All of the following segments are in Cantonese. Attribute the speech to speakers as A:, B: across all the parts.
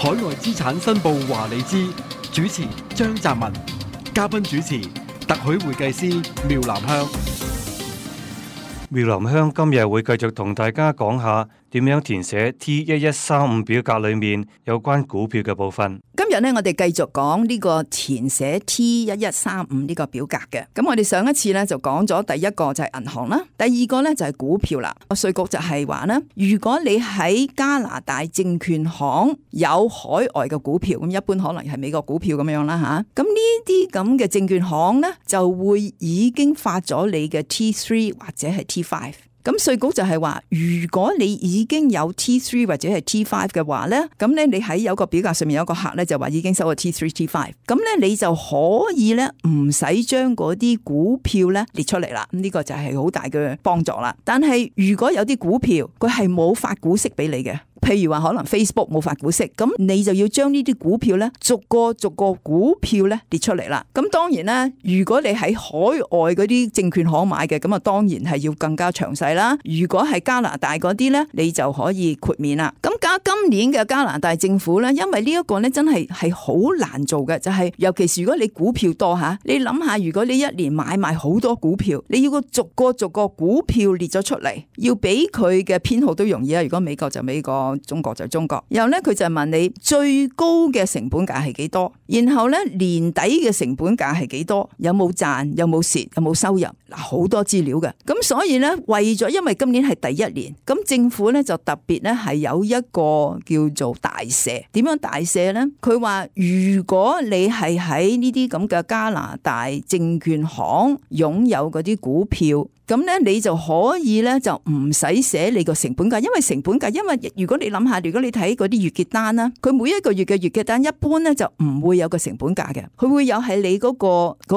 A: 海外資產申報華利茲，主持張澤文，嘉賓主持特許會計師廖南香。
B: 廖南香今日會繼續同大家講下點樣填寫 T1135 表格裏面有關股票嘅部分。
C: 今日呢，我哋繼續講呢個填寫 T1135 呢個表格嘅。咁我哋上一次呢就講咗第一個就係銀行啦，第二個呢就係股票啦。稅局就係話呢，如果你喺加拿大證券行有海外嘅股票，咁一般可能係美國股票咁樣啦吓。咁呢啲咁嘅證券行呢，就會已經發咗你嘅 T3 或者係 T5。咁稅局就係話，如果你已經有 T3 或者係 T5 嘅話咧，咁咧你喺有個表格上面有個客咧就話已經收咗 T3、T5，咁咧你就可以咧唔使將嗰啲股票咧列出嚟啦。咁呢個就係好大嘅幫助啦。但係如果有啲股票佢係冇發股息俾你嘅，譬如話可能 Facebook 冇發股息，咁你就要將呢啲股票咧逐個股票咧列出嚟啦。咁當然啦，如果你喺海外嗰啲證券行買嘅，咁啊當然係要更加詳細啦。如果係加拿大嗰啲咧，你就可以豁免啦。咁今年嘅加拿大政府咧，因為呢一個咧真係好難做嘅，就係尤其是如果你股票多吓，你諗下如果你一年買賣好多股票，你要個逐個股票列咗出嚟，要俾佢嘅編號都容易啊。如果美國就美國，中國就中國。然後咧佢就問你最高嘅成本價係幾多，然後咧年底嘅成本價係幾多，有冇賺，有冇蝕，有冇收入，嗱好多資料嘅。咁所以咧為咗因為今年係第一年，咁政府咧就特別咧係有一個叫做大赦。點樣大赦咧？佢話如果你係喺呢啲咁嘅加拿大證券行擁有嗰啲股票，咁咧你就可以咧就唔使寫你個成本價，因為如果你諗下，如果你睇嗰啲月結單啦，佢每一個月嘅月結單一般咧就唔會有個成本價嘅，佢會有係你嗰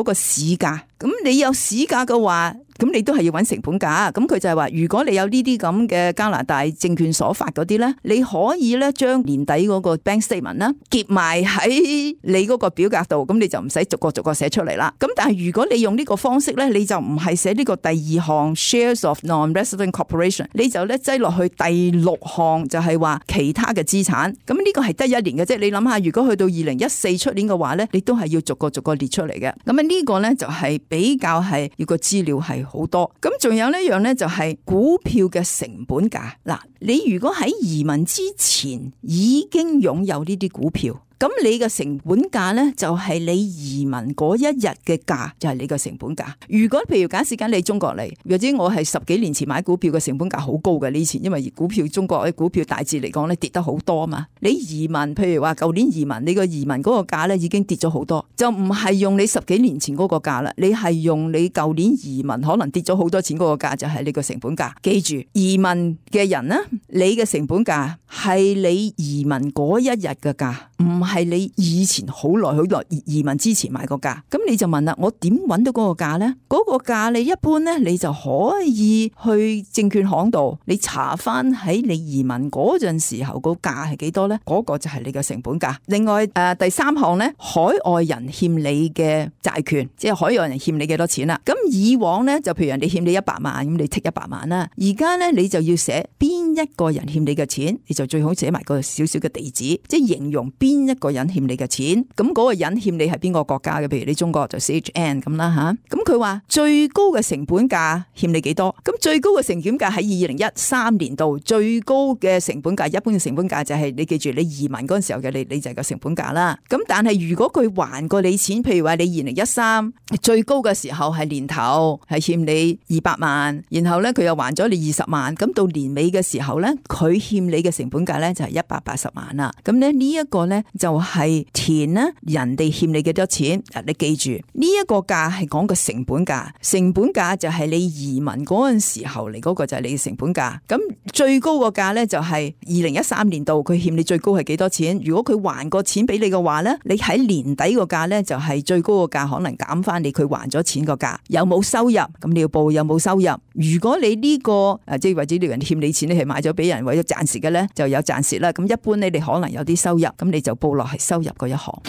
C: 個市價。咁你有市價嘅話，咁你都係要揾成本價。咁佢就係話，如果你有呢啲咁嘅加拿大證券所發嗰啲咧，你可以咧將年底嗰個 bank statement 啦結埋喺你嗰個表格度，咁你就唔使逐個寫出嚟啦。咁但係如果你用呢個方式咧，你就唔係寫呢個第二項 shares of non-resident corporation， 你就咧擠落去第六項就係話其他嘅資產。咁呢個係得一年嘅啫。你諗下，如果去到2014出年嘅話咧，你都係要逐個列出嚟嘅。咁啊呢個咧就係比較係要個資料係好多。咁仲有呢一樣咧就係股票嘅成本價。嗱，你如果喺移民之前已經擁有呢啲股票，咁你嘅成本價呢，就係你移民嗰一日嘅價，就係你嘅成本價。如果譬如假設緊你中國嚟，或者我係10幾年前買股票嘅成本價好高嘅呢錢，因為中國嘅股票大致嚟講咧跌得好多嘛。你移民譬如話舊年移民，你個移民嗰個價咧已經跌咗好多，就唔係用你10幾年前嗰個價啦，你係用你舊年移民可能跌咗好多錢嗰個價，就係你個成本價。記住，移民嘅人呢，你嘅成本價係你移民嗰一日嘅價，唔係你以前好耐移民之前買個價。咁你就問啦，我點揾到嗰個價呢？嗰個價你一般呢，你就可以去證券行度，你查翻喺你移民嗰陣時候個價係幾多呢？嗰個就係你嘅成本價。另外第三項呢，海外人欠你嘅債權，即係海外人欠你幾多錢啦。咁以往呢，就譬如人哋欠你100萬，咁你剔100萬啦。而家呢，你就要寫邊一個人欠你嘅錢，你就最好寫埋個少少嘅地址，即係形容邊一個人欠你嘅錢。咁嗰個人欠你係邊個國家嘅？譬如你中國就 CHN 咁啦吓。咁佢話最高嘅成本價欠你幾多？咁最高嘅成本價喺2013年度最高嘅成本價，一般嘅成本價就係你記住你移民嗰陣時候嘅你就係個成本價啦。咁但係如果佢還過你錢，譬如話你2013最高嘅時候係年頭係欠你200萬，然後咧佢又還咗你20萬，咁到年尾嘅時候咧佢欠你嘅成本價咧就係180萬啦。咁咧呢一個咧就係填咧人哋欠你幾多錢。你記住呢一個價係講個成本價，成本價就係你移民嗰陣時候嚟嗰個就係你嘅成本價。咁最高個價咧就係2013年度佢欠你最高係幾多錢？如果佢還過錢俾你嘅話咧，你喺年底個價咧就係最高個價，可能減翻你佢還咗錢個價。有冇收入？咁你要報有冇收入。如果你呢個即係或者呢個人欠你錢，你係買咗俾人為咗賺蝕嘅咧，就有賺蝕啦。咁一般咧你可能有啲收入，咁你就報落係收入嗰一行。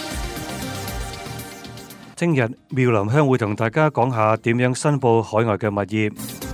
B: 聽日妙林香會同大家講下點樣申報海外嘅物業。